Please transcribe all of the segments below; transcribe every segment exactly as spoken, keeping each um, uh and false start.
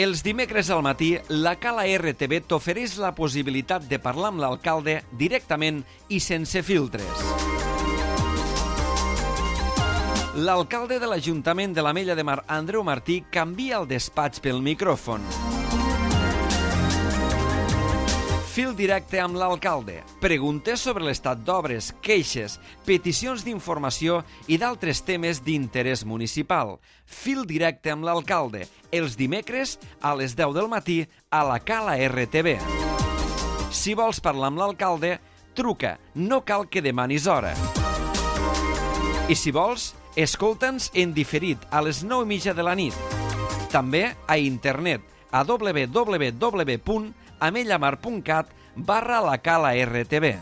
Els dimecres al matí, la Cala R T V t'ofereix la possibilitat de parlar amb l'alcalde directament i sense filtres. L'alcalde de l'Ajuntament de l'Ametlla de Mar, Andreu Martí, canvia el despatx pel micròfon. Fil directe amb l'alcalde. Preguntes sobre l'estat d'obres, queixes, peticions d'informació i d'altres temes d'interès municipal. Fil directe amb l'alcalde. Els dimecres a les deu del matí a la Cala R T V. Si vols parlar amb l'alcalde, truca. No cal que demanis hora. I si vols, escolta'ns en diferit a les nou i mitja de la nit. També a internet a w w w punt amellamar punt cat barra la Cala R T V.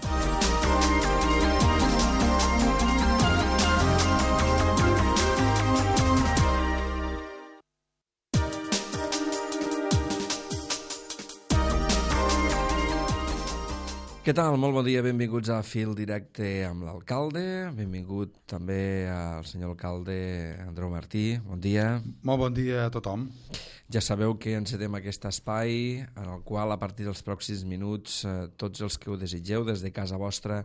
Què tal? Molt bon dia, benvinguts a Fil Directe amb l'alcalde. Benvingut també al senyor alcalde Andreu Martí. Bon dia. Molt bon dia a tothom. Ja sabeu que encetem aquest espai en el qual a partir dels pròxims minuts eh, tots els que ho desitgeu des de casa vostra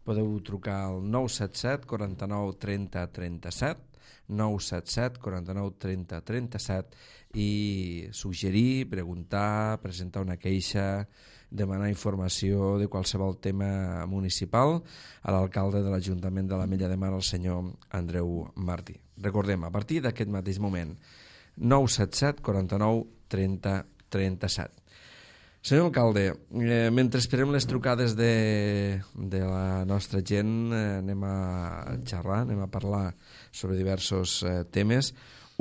podeu trucar al nou set set, quaranta nou, trenta, trenta set, nou set set, quaranta nou, trenta, trenta set i suggerir, preguntar, presentar una queixa, demanar informació de qualsevol tema municipal a l'alcalde de l'Ajuntament de l'Ametlla de Mar, el senyor Andreu Martí. Recordem, a partir d'aquest mateix moment, nou set set, quaranta nou, trenta, trenta set. Senyor alcalde, eh, mentre esperem les trucades de, de la nostra gent, eh, anem a xerrar, anem a parlar sobre diversos eh, temes.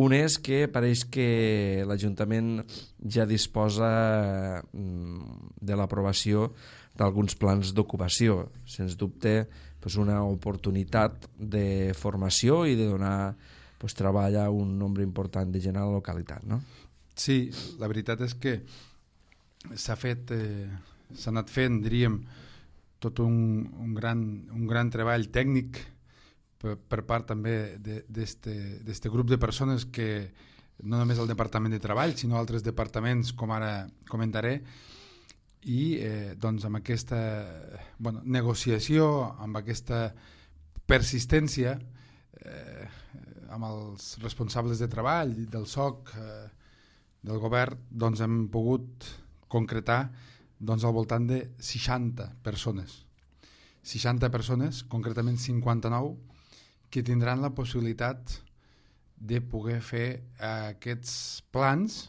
Un és que pareix que l'Ajuntament ja disposa de l'aprovació d'alguns plans d'ocupació. Sens dubte, doncs una oportunitat de formació i de donar doncs, treball a un nombre important de gent a la localitat, no? Sí, la veritat és que s'ha fet, eh, s'ha anat fent, diríem, tot un, un, gran, un gran treball tècnic per, per part també d'aquest grup de persones que no només el Departament de Treball, sinó altres departaments, com ara comentaré, i eh, doncs amb aquesta bueno, negociació, amb aquesta persistència, eh, amb els responsables de treball del S O C, eh, del govern, doncs hem pogut concretar doncs, al voltant de seixanta persones. seixanta persones, concretament cinquanta-nou, que tindran la possibilitat de poder fer eh, aquests plans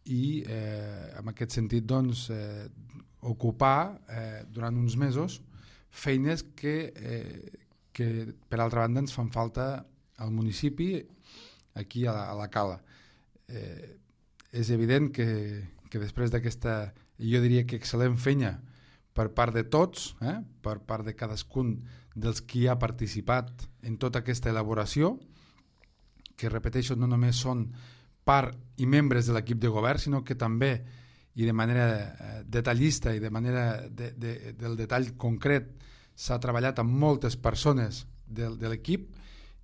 i eh, en aquest sentit doncs, eh, ocupar eh, durant uns mesos feines que, eh, que per altra banda ens fan falta al municipi, aquí a la, a la Cala. Eh, és evident que, que després d'aquesta, jo diria que excel·lent feina per part de tots, eh, per part de cadascun dels qui ha participat en tota aquesta elaboració, que repeteixo no només són part i membres de l'equip de govern, sinó que també i de manera eh, detallista i de manera de, de, del detall concret s'ha treballat amb moltes persones de, de l'equip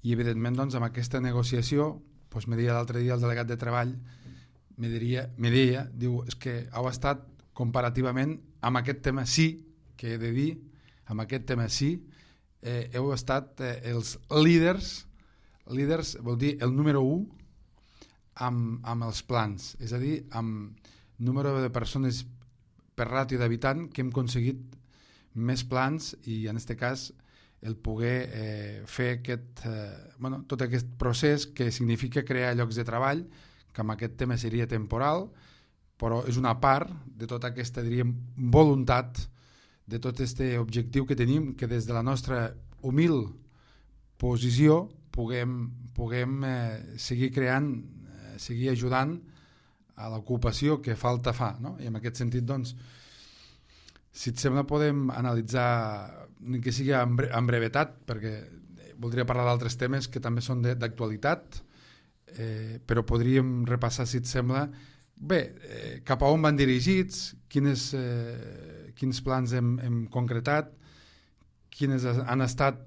i evidentment doncs, amb aquesta negociació doncs, me deia l'altre dia el delegat de treball me, diria, me deia, diu, és que heu estat comparativament amb aquest tema sí, que he de dir, amb aquest tema sí, eh, heu estat eh, els líders, líders vol dir el número u amb, amb els plans, és a dir, amb número de persones per ràtio d'habitant que hem aconseguit més plans i en aquest cas el poder eh, fer aquest, eh, bueno, tot aquest procés que significa crear llocs de treball, que amb aquest tema seria temporal, però és una part de tota aquesta, diríem, voluntat de tot aquest objectiu que tenim, que des de la nostra humil posició puguem, puguem eh, seguir creant, eh, seguir ajudant a l'ocupació que falta fa, no? I en aquest sentit, doncs, si et sembla podem analitzar, ni que sigui en, bre en brevetat, perquè voldria parlar d'altres temes que també són d'actualitat, eh, però podríem repassar, si et sembla, bé, eh, cap a on van dirigits, quines, eh, quins plans hem, hem concretat, quines han estat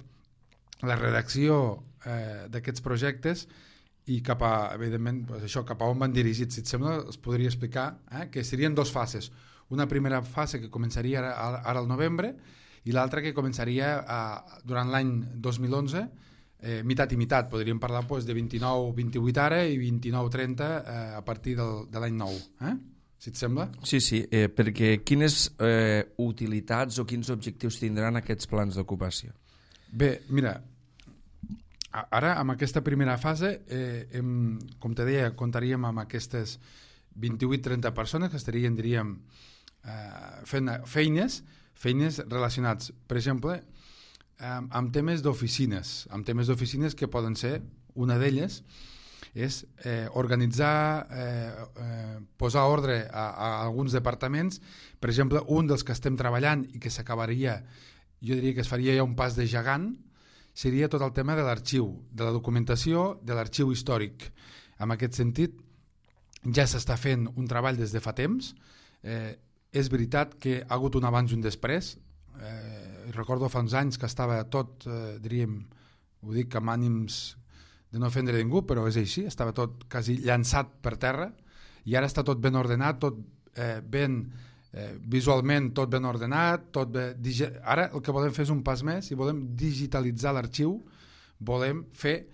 la redacció eh, d'aquests projectes i cap a, evidentment, pues això, cap a on van dirigits. Si et sembla, es podria explicar eh, que serien dos fases. Una primera fase que començaria ara, ara al novembre i l'altra que començaria a, durant l'any dos mil onze, eh, mitat i mitat. Podríem parlar pues, de vint-i-nou vint-i-vuit ara i vint-i-nou trenta eh, a partir del, de l'any nou. Eh? Si et sembla? Sí, sí, eh, perquè quines eh, utilitats o quins objectius tindran aquests plans d'ocupació? Bé, mira, ara amb aquesta primera fase, eh, hem, com te deia, comptaríem amb aquestes vint-i-vuit trenta persones que estarien, diríem, eh, fent feines, feines relacionats, per exemple, amb, amb temes d'oficines, amb temes d'oficines que poden ser, una d'elles, és eh, organitzar, eh, eh, posar ordre a, a alguns departaments. Per exemple, un dels que estem treballant i que s'acabaria, jo diria que es faria ja un pas de gegant, seria tot el tema de l'arxiu, de la documentació, de l'arxiu històric. En aquest sentit, ja s'està fent un treball des de fa temps. Eh, és veritat que ha hagut un abans i un després. Eh, recordo fa uns anys que estava tot, eh, diríem, ho dic amb ànims de no ofendre ningú, però és així, estava tot quasi llançat per terra i ara està tot ben ordenat, tot eh, ben eh, visualment tot ben ordenat, tot bé, ara el que volem fer és un pas més i volem digitalitzar l'arxiu, volem fer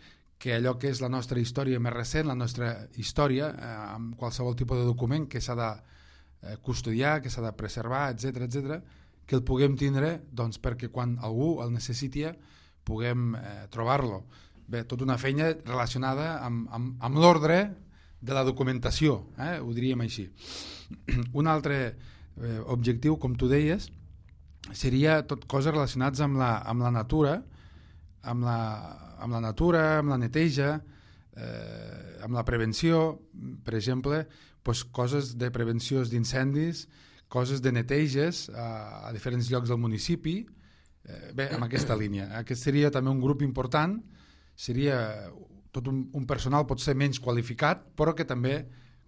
que allò que és la nostra història més recent, la nostra història, eh, amb qualsevol tipus de document que s'ha de eh, custodiar, que s'ha de preservar, etcètera, etcètera, que el puguem tindre doncs, perquè quan algú el necessiti puguem eh, trobar-lo. Bé, tota una feina relacionada amb, amb, amb l'ordre de la documentació, eh? Ho diríem així. Un altre eh, objectiu, com tu deies, seria tot coses relacionades amb la, amb la natura, amb la, amb la natura, amb la neteja, eh, amb la prevenció, per exemple, doncs coses de prevenció d'incendis, coses de neteges a, a diferents llocs del municipi, eh, bé, amb aquesta línia. Aquest seria també un grup important, seria tot un, un personal pot ser menys qualificat, però que també,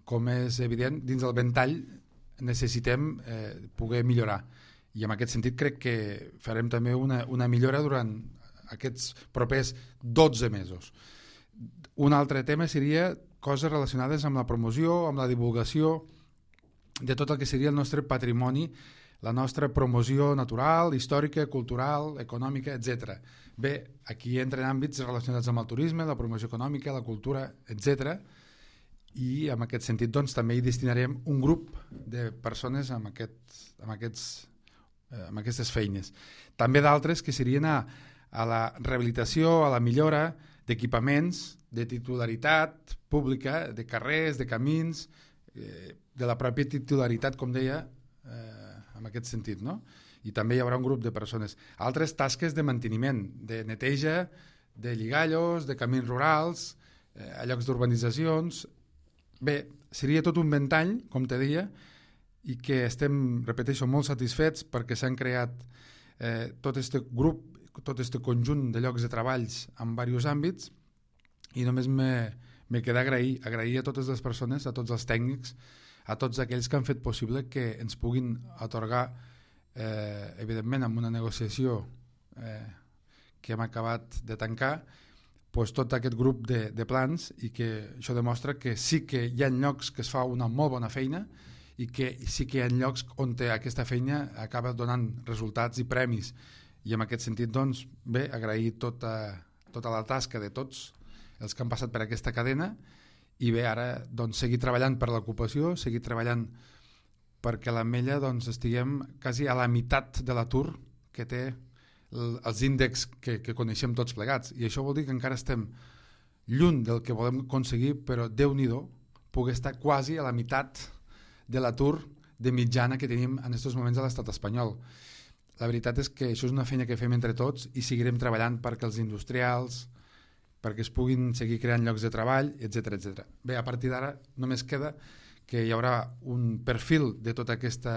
com és evident, dins del ventall necessitem eh, poder millorar. I en aquest sentit crec que farem també una, una millora durant aquests propers dotze mesos. Un altre tema seria coses relacionades amb la promoció, amb la divulgació de tot el que seria el nostre patrimoni, la nostra promoció natural, històrica, cultural, econòmica, etcètera. Bé, aquí entren àmbits relacionats amb el turisme, la promoció econòmica, la cultura, etcètera. I en aquest sentit doncs, també hi destinarem un grup de persones amb, aquest, amb, aquests, eh, amb aquestes feines. També d'altres que serien a, a la rehabilitació, a la millora d'equipaments, de titularitat pública, de carrers, de camins, eh, de la pròpia titularitat, com deia, eh, en aquest sentit, no? I també hi haurà un grup de persones. Altres tasques de manteniment, de neteja, de lligallos, de camins rurals, eh, a llocs d'urbanitzacions. Bé, seria tot un ventall, com te deia, i que estem, repeteixo, molt satisfets perquè s'han creat eh, tot aquest grup, tot aquest conjunt de llocs de treballs en diversos àmbits i només me, me queda agrair, agrair a totes les persones, a tots els tècnics, a tots aquells que han fet possible que ens puguin atorgar, eh, evidentment, amb una negociació eh, que hem acabat de tancar, pues, tot aquest grup de, de plans i que això demostra que sí que hi ha llocs que es fa una molt bona feina i que sí que hi ha llocs on aquesta feina acaba donant resultats i premis. I en aquest sentit, doncs, bé, agrair tota, tota la tasca de tots els que han passat per aquesta cadena i bé, ara doncs, seguir treballant per l'ocupació, seguir treballant perquè a l'Ametlla doncs, estiguem quasi a la meitat de l'atur que té el, els índexs que, que coneixem tots plegats. I això vol dir que encara estem lluny del que volem aconseguir, però Déu-n'hi-do, poder estar quasi a la meitat de l'atur de mitjana que tenim en aquests moments a l'estat espanyol. La veritat és que això és una feina que fem entre tots i seguirem treballant perquè els industrials, perquè es puguin seguir creant llocs de treball, etcètera, etcètera. Bé, a partir d'ara només queda que hi haurà un perfil de tota aquesta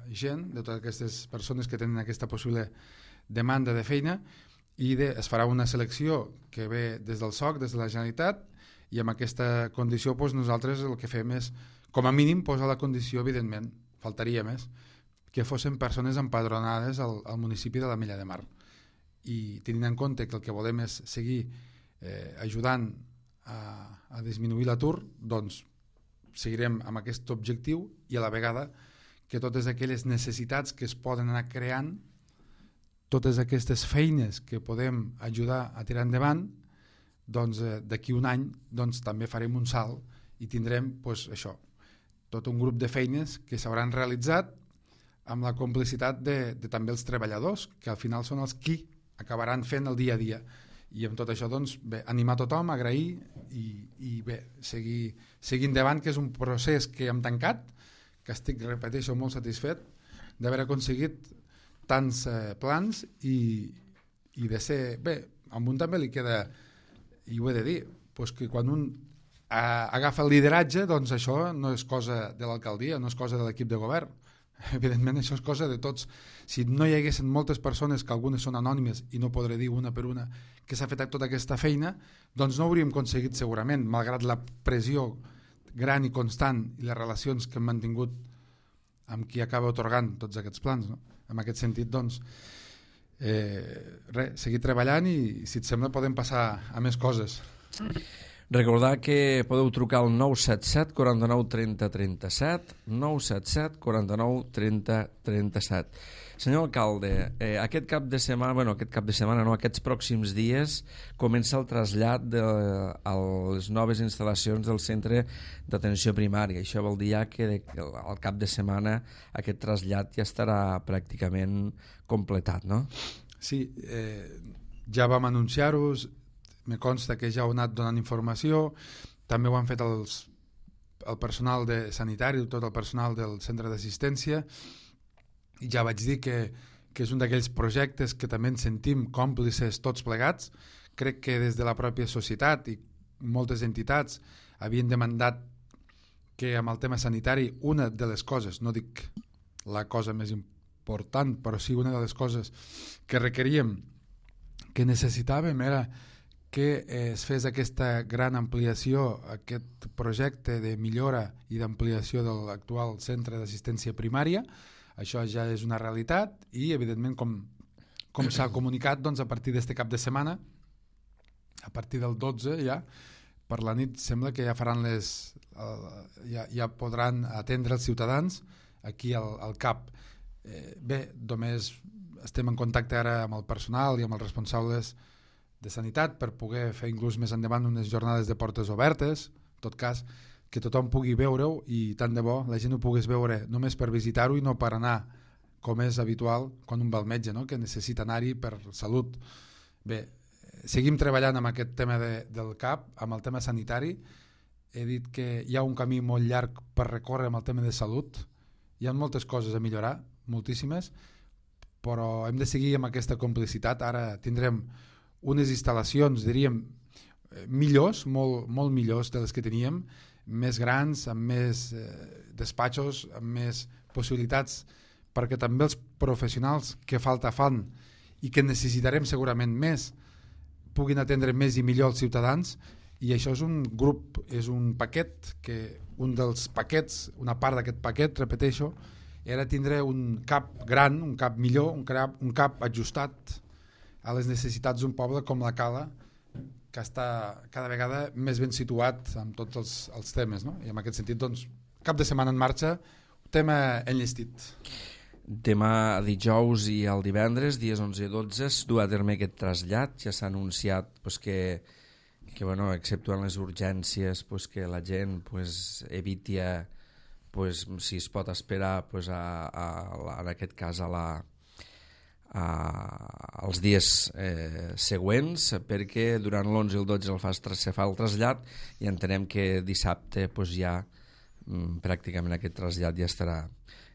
gent, de totes aquestes persones que tenen aquesta possible demanda de feina i de, es farà una selecció que ve des del S O C, des de la Generalitat, i amb aquesta condició doncs, nosaltres el que fem és, com a mínim, posar la condició, evidentment, faltaria més, que fossin persones empadronades al, al municipi de l'Ametlla de Mar. I tenint en compte que el que volem és seguir Eh, ajudant a, a disminuir l'atur, doncs seguirem amb aquest objectiu i a la vegada que totes aquelles necessitats que es poden anar creant, totes aquestes feines que podem ajudar a tirar endavant, doncs eh, d'aquí un any doncs, també farem un salt i tindrem pues, això, tot un grup de feines que s'hauran realitzat amb la complicitat de, de també els treballadors, que al final són els qui acabaran fent el dia a dia. I amb tot això, doncs, bé, animar tothom, agrair i, i bé, seguir, seguir endavant, que és un procés que hem tancat, que estic, repeteixo, molt satisfet d'haver aconseguit tants eh, plans i, i de ser... Bé, a un també li queda, i ho he de dir, doncs que quan un a, agafa el lideratge, doncs això no és cosa de l'alcaldia, no és cosa de l'equip de govern. Evidentment això és cosa de tots. Si no hi haguessin moltes persones, que algunes són anònimes i no podré dir una per una, que s'ha fet tota aquesta feina, doncs no hauríem aconseguit segurament, malgrat la pressió gran i constant i les relacions que hem mantingut amb qui acaba otorgant tots aquests plans. No? En aquest sentit, doncs, eh, res, seguir treballant i, si et sembla, podem passar a més coses. Recordar que podeu trucar al nou set set, quaranta-nou, trenta, trenta-set, nou set set, quaranta-nou, trenta, trenta-set. Senyor alcalde, eh, aquest cap de setmana, bueno, aquest cap de setmana no, aquests pròxims dies comença el trasllat de, a les noves instal·lacions del centre d'atenció primària. Això vol dir ja que de, al cap de setmana aquest trasllat ja estarà pràcticament completat, no? Sí, eh, ja vam anunciar-ho, me consta que ja heu anat donant informació, també ho han fet els, el personal de sanitari, tot el personal del centre d'assistència, i ja vaig dir que, que és un d'aquells projectes que també ens sentim còmplices tots plegats. Crec que des de la pròpia societat i moltes entitats havien demandat que amb el tema sanitari una de les coses, no dic la cosa més important, però sí una de les coses que requeríem, que necessitàvem, era que es fes aquesta gran ampliació, aquest projecte de millora i d'ampliació de l'actual centre d'assistència primària. Això ja és una realitat i, evidentment, com, com s'ha comunicat, doncs, a partir d'aquest cap de setmana, a partir del dotze ja, per la nit sembla que ja faran les... Uh, ja, ja podran atendre els ciutadans aquí al, al C A P. Eh, bé, només estem en contacte ara amb el personal i amb els responsables de sanitat per poder fer inclús més endavant unes jornades de portes obertes, en tot cas que tothom pugui veure-ho i tant de bo la gent ho pogués veure només per visitar-ho i no per anar, com és habitual quan un va al metge, no? Que necessita anar-hi per salut. Bé, seguim treballant amb aquest tema de, del C A P, amb el tema sanitari. He dit que hi ha un camí molt llarg per recórrer amb el tema de salut. Hi ha moltes coses a millorar, moltíssimes, però hem de seguir amb aquesta complicitat. Ara tindrem unes instal·lacions, diríem, millors, molt, molt millors de les que teníem, més grans, amb més eh, despatxos, amb més possibilitats, perquè també els professionals que falta fan i que necessitarem segurament més puguin atendre més i millor els ciutadans, i això és un grup, és un paquet, que un dels paquets, una part d'aquest paquet, repeteixo, era tindre un cap gran, un cap millor, un cap, un cap ajustat a les necessitats d'un poble com la Cala, que està cada vegada més ben situat amb tots els, els temes, no? I en aquest sentit, doncs, cap de setmana en marxa, tema enllestit. Demà dijous i el divendres, dies onze i dotze, es du a terme aquest trasllat. Ja s'ha anunciat pues, que, que bueno, exceptuant les urgències, pues, que la gent pues, eviti, pues, si es pot esperar, pues, a, a, a, en aquest cas a la Uh, els dies eh, següents, perquè durant l'onze i el dotze el fa, se fa el trasllat i entenem que dissabte pues, ja mm, pràcticament aquest trasllat ja estarà,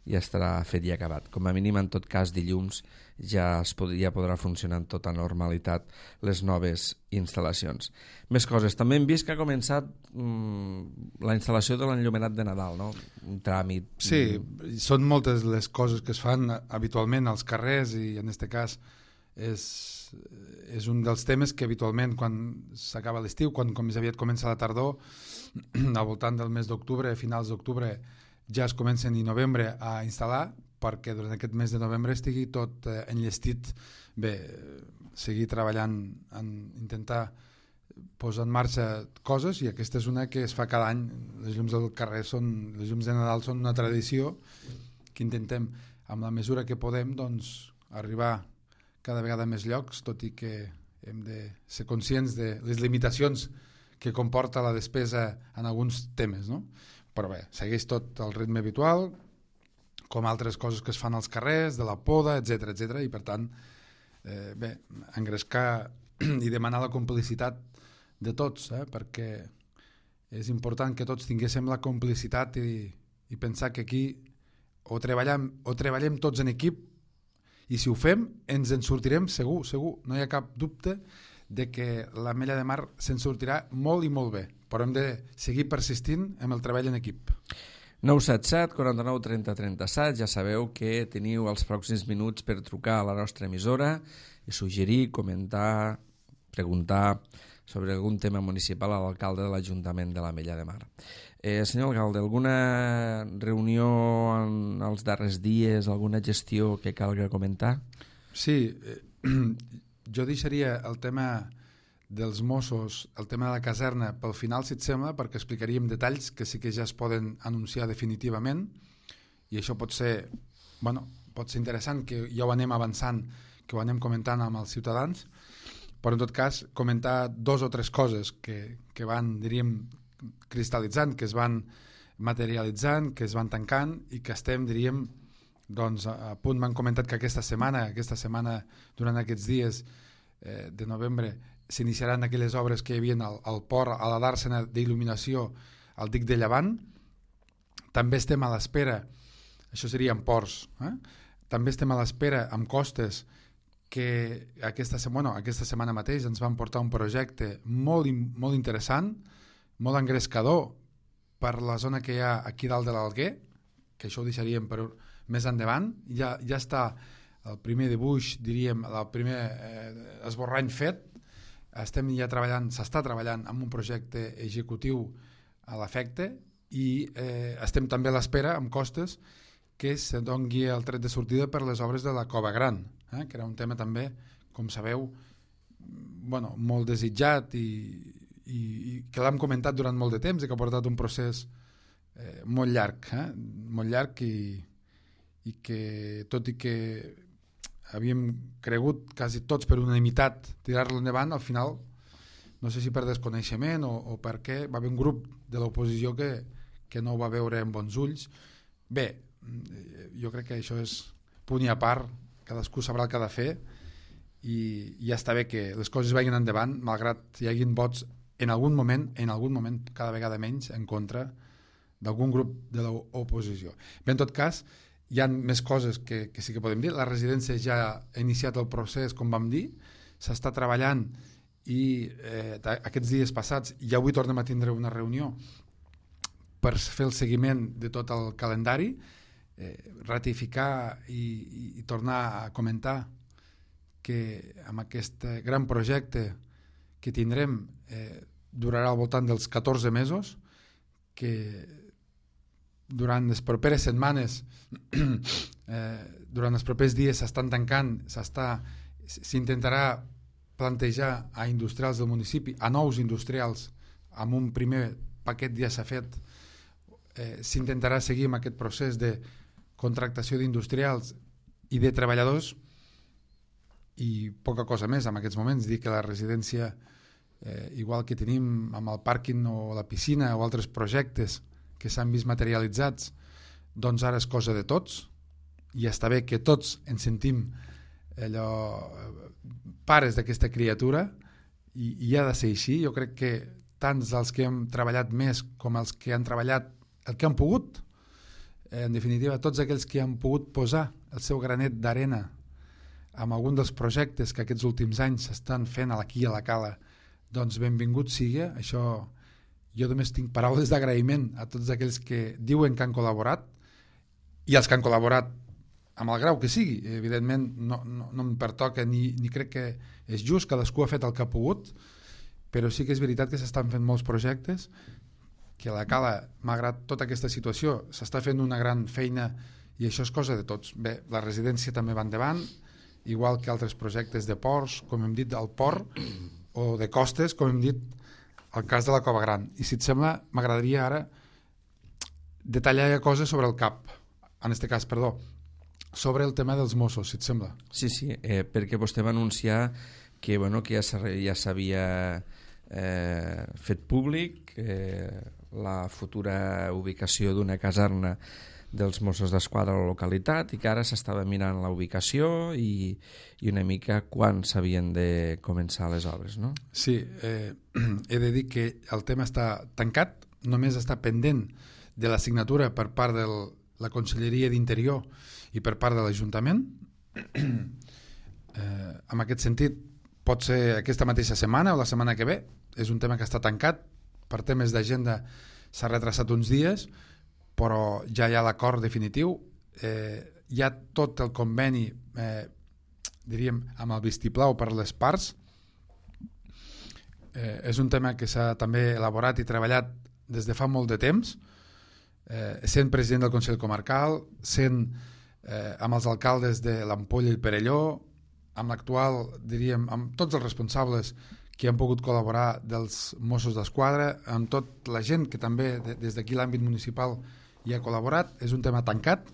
ja estarà fet i acabat. Com a mínim, en tot cas, dilluns ja, es pod ja podrà funcionar en tota normalitat les noves instal·lacions. Més coses. També hem vist que ha començat mm, la instal·lació de l'enllumenat de Nadal, no? Un tràmit. Sí, són moltes les coses que es fan habitualment als carrers i en aquest cas és, és un dels temes que habitualment quan s'acaba l'estiu, quan com més aviat comença la tardor, al voltant del mes d'octubre, finals d'octubre, ja es comencen i novembre a instal·lar, perquè durant aquest mes de novembre estigui tot eh, enllestit. Bé, seguir treballant en intentar posa en marxa coses, i aquesta és una que es fa cada any. Les llums del carrer són, les llums de Nadal són una tradició que intentem, amb la mesura que podem, doncs, arribar cada vegada a més llocs, tot i que hem de ser conscients de les limitacions que comporta la despesa en alguns temes, no? Però bé, segueix tot el ritme habitual, com altres coses que es fan als carrers, de la poda, etcètera, etcètera, i per tant, eh, bé, engrescar i demanar la complicitat de tots, eh, perquè és important que tots tinguéssim la complicitat i, i pensar que aquí o treballem, o treballem tots en equip, i si ho fem ens en sortirem segur, segur, no hi ha cap dubte de que l'Ametlla de Mar se'n sortirà molt i molt bé, però hem de seguir persistint amb el treball en equip. nou set set, quaranta-nou, trenta, trenta-set, ja sabeu que teniu els pròxims minuts per trucar a la nostra emissora i suggerir, comentar, preguntar sobre algun tema municipal a l'alcalde de l'Ajuntament de l'Ametlla de Mar. Eh, senyor alcalde, alguna reunió en els darrers dies, alguna gestió que calga comentar? Sí, eh, jo deixaria el tema dels Mossos, el tema de la caserna, pel final, si et sembla, perquè explicaríem detalls que sí que ja es poden anunciar definitivament, i això pot ser, bueno, pot ser interessant, que ja ho anem avançant, que ho anem comentant amb els ciutadans, però en tot cas comentar dos o tres coses que, que van, diríem, cristal·litzant, que es van materialitzant, que es van tancant i que estem, diríem, doncs a punt. M'han comentat que aquesta setmana, aquesta setmana durant aquests dies eh, de novembre, s'iniciaran aquelles obres que hi havia al, al port, a la dàrsena d'il·luminació al dic de Llevant. També estem a l'espera, això seria en ports, eh? També estem a l'espera amb Costes, que aquesta, bueno, aquesta setmana mateix ens van portar un projecte molt, molt interessant, molt engrescador per la zona que hi ha aquí dalt de l'Alguer, que això ho deixaríem per més endavant. Ja, ja està el primer dibuix, diríem, el primer eh, esborrany fet. Estem ja treballant, s'està treballant amb un projecte executiu a l'efecte i eh, estem també a l'espera, amb Costes, que se doni el tret de sortida per les obres de la Cova Gran, eh, que era un tema també, com sabeu, bueno, molt desitjat i i, i que l'hem comentat durant molt de temps i que ha portat un procés eh, molt llarg, eh? molt llarg i, i que tot i que havíem cregut quasi tots per unanimitat tirar-lo endavant, al final no sé si per desconeixement o, o perquè va haver un grup de l'oposició que, que no ho va veure amb bons ulls. Bé, jo crec que això és punt i a part, cadascú sabrà el que ha de fer i ja està bé que les coses vagin endavant malgrat hi hagin vots en algun moment, en algun moment cada vegada menys en contra d'algun grup de l'oposició. Bé, en tot cas, hi ha més coses que, que sí que podem dir. La residència ja ha iniciat el procés, com vam dir, s'està treballant i eh, aquests dies passats, i avui tornem a tindre una reunió per fer el seguiment de tot el calendari, eh, ratificar i, i, i tornar a comentar que amb aquest gran projecte que tindrem eh, durarà al voltant dels catorze mesos, que durant les properes setmanes, eh, durant els propers dies s'estan tancant, s'està, s'intentarà plantejar a industrials del municipi, a nous industrials, amb un primer paquet ja s'ha fet, eh, s'intentarà seguir amb aquest procés de contractació d'industrials i de treballadors i poca cosa més en aquests moments. Dir que la residència, eh, igual que tenim amb el pàrquing o la piscina o altres projectes que s'han vist materialitzats, doncs ara és cosa de tots i està bé que tots ens sentim allò, pares d'aquesta criatura i, i ha de ser així. Jo crec que tant els que hem treballat més com els que han treballat el que han pogut, en definitiva tots aquells que han pogut posar el seu granet d'arena amb algun dels projectes que aquests últims anys s'estan fent aquí a la Cala, doncs benvingut sigui. Això, jo només tinc paraules d'agraïment a tots aquells que diuen que han col·laborat i els que han col·laborat amb el grau que sigui. Evidentment no, no, no em pertoca ni, ni crec que és just, cadascú ha fet el que ha pogut, però sí que és veritat que s'estan fent molts projectes, que a la Cala, malgrat tota aquesta situació, s'està fent una gran feina i això és cosa de tots. Bé, la residència també va endavant, igual que altres projectes de ports, com hem dit, del port, o de costes, com hem dit, el cas de la Cova Gran. I si et sembla, m'agradaria ara detallar coses sobre el C A P, en aquest cas, perdó, sobre el tema dels Mossos, si et sembla. Sí, sí, eh, perquè vostè va anunciar que, bueno, que ja s'havia eh, fet públic eh, la futura ubicació d'una caserna dels Mossos d'Esquadra a la localitat i que ara s'estava mirant la ubicació i, i una mica quan s'havien de començar les obres, no? Sí, eh, he de dir que el tema està tancat, només està pendent de la signatura per part de la Conselleria d'Interior i per part de l'Ajuntament. Eh, en aquest sentit, pot ser aquesta mateixa setmana o la setmana que ve. És un tema que està tancat, per temes d'agenda s'ha retrasat uns dies, però ja hi ha l'acord definitiu, eh, hi ha tot el conveni, eh, diríem, amb el vistiplau per les parts. Eh, és un tema que s'ha també elaborat i treballat des de fa molt de temps, eh, sent president del Consell Comarcal, sent eh, amb els alcaldes de l'Ampolla i el Perelló, amb l'actual, diríem, amb tots els responsables que han pogut col·laborar dels Mossos d'Esquadra, amb tota la gent que també de, des d'aquí l'àmbit municipal hi ha col·laborat. És un tema tancat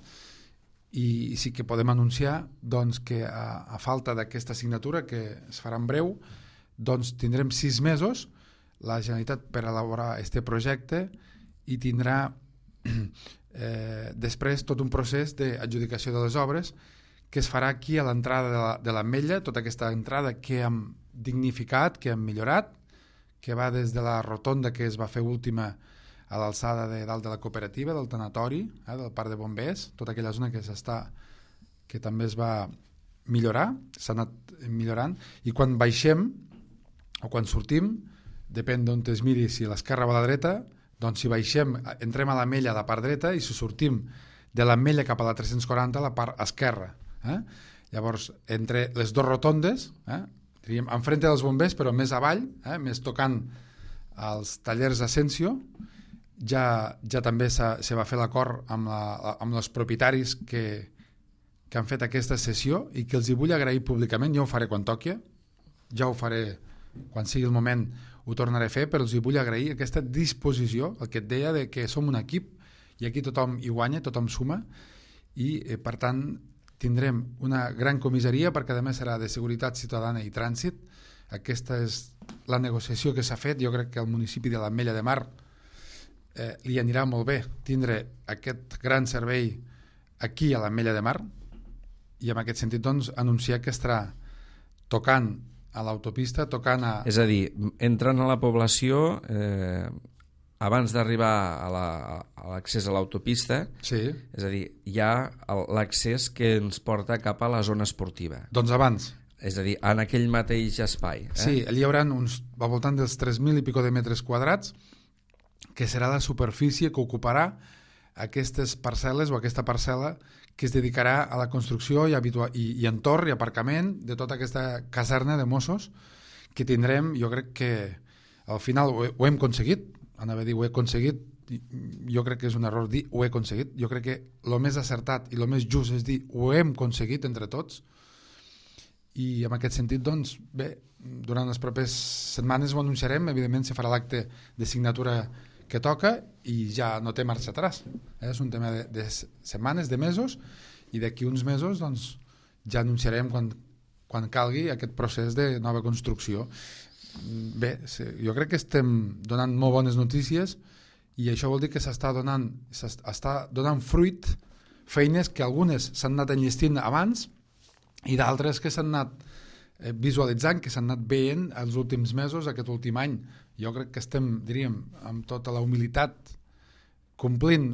i, i sí que podem anunciar doncs, que a, a falta d'aquesta signatura, que es farà en breu, doncs tindrem sis mesos la Generalitat per elaborar aquest projecte i tindrà eh, després tot un procés d'adjudicació de les obres que es farà aquí a l'entrada de l'Ametlla, tota aquesta entrada que hem dignificat, que hem millorat, que va des de la rotonda que es va fer última a l'alçada de dalt de la cooperativa, del tanatori, eh, del parc de bombers, tota aquella zona que s'està, que també es va millorar, s'ha anat millorant, i quan baixem o quan sortim, depèn d'on es miri, si a l'esquerra o a la dreta, doncs si baixem, entrem a l'Ametlla a la part dreta i si sortim de l'Ametlla cap a la tres-cents quaranta a la part esquerra. Eh? Llavors, entre les dues rotondes, eh, diríem, enfrente dels bombers, però més avall, eh, més tocant als tallers Asensio, ja, ja també se va fer l'acord amb, la, amb els propietaris que, que han fet aquesta sessió i que els hi vull agrair públicament. Jo ho faré quan toqui, ja ho faré quan sigui el moment, ho tornaré a fer, però els hi vull agrair aquesta disposició, el que et deia de que som un equip i aquí tothom hi guanya, tothom suma i eh, per tant tindrem una gran comissaria perquè a més serà de seguretat ciutadana i trànsit. Aquesta és la negociació que s'ha fet. Jo crec que al municipi de l'Ametlla de Mar eh, li anirà molt bé tindre aquest gran servei aquí a l'Ametlla de Mar i en aquest sentit doncs anunciar que estarà tocant a l'autopista, tocant a... És a dir, entrant a la població eh, abans d'arribar a l'accés a l'autopista, sí. És a dir, hi ha l'accés que ens porta cap a la zona esportiva. Doncs abans. És a dir, en aquell mateix espai. Eh? Sí, allí hi haurà uns, al voltant dels tres mil i pico de metres quadrats, que serà la superfície que ocuparà aquestes parcel·les o aquesta parcel·la que es dedicarà a la construcció i, habitua i, i entorn i aparcament de tota aquesta caserna de Mossos que tindrem. Jo crec que al final ho, ho hem aconseguit, anava a dir ho he aconseguit, jo crec que és un error dir ho he aconseguit, jo crec que el més acertat i el més just és dir ho hem aconseguit entre tots i en aquest sentit doncs bé, durant les properes setmanes ho anunciarem, evidentment se farà l'acte de signatura que toca i ja no té marxa atràs, eh? És un tema de, de setmanes, de mesos i d'aquí uns mesos doncs ja anunciarem quan, quan calgui aquest procés de nova construcció. Bé, jo crec que estem donant molt bones notícies i això vol dir que s'està donant, s'està donant fruit feines que algunes s'han anat enllestint abans i d'altres que s'han anat visualitzant, que s'han anat veient els últims mesos, aquest últim any. Jo crec que estem, diríem, amb tota la humilitat, complint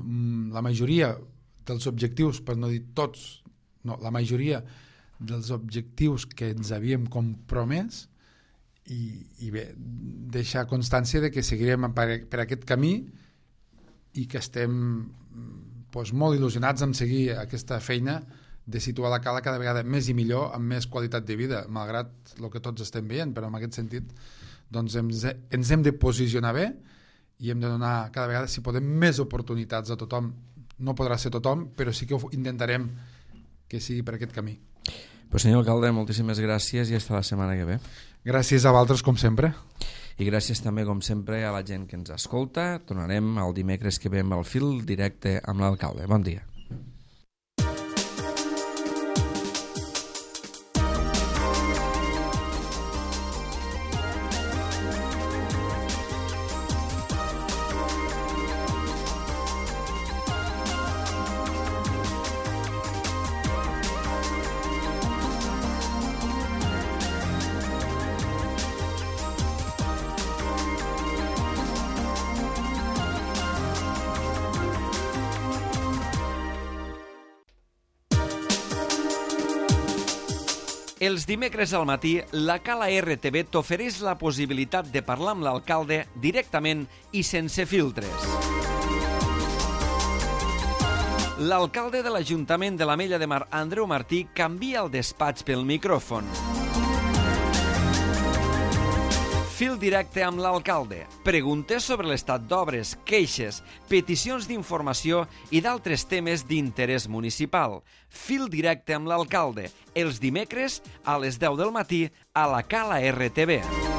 la majoria dels objectius, per no dir tots, no, la majoria dels objectius que ens havíem compromès i, i bé, deixar constància de que seguirem per, per aquest camí i que estem doncs, molt il·lusionats en seguir aquesta feina de situar la cala cada vegada més i millor, amb més qualitat de vida, malgrat el que tots estem veient, però en aquest sentit doncs ens, ens hem de posicionar bé i hem de donar cada vegada, si podem, més oportunitats a tothom. No podrà ser tothom, però sí que ho intentarem que sigui per aquest camí. Pues senyor alcalde, moltíssimes gràcies i fins la setmana que ve. Gràcies a vosaltres, com sempre. I gràcies també, com sempre, a la gent que ens escolta. Tornarem el dimecres que ve amb el fil directe amb l'alcalde. Bon dia. Els dimecres al matí, la Cala R T V t'ofereix la possibilitat de parlar amb l'alcalde directament i sense filtres. L'alcalde de l'Ajuntament de l'Ametlla de Mar, Andreu Martí, canvia el despatx pel micròfon. Fil directe amb l'alcalde. Preguntes sobre l'estat d'obres, queixes, peticions d'informació i d'altres temes d'interès municipal. Fil directe amb l'alcalde. Els dimecres a les deu del matí a la Cala R T V.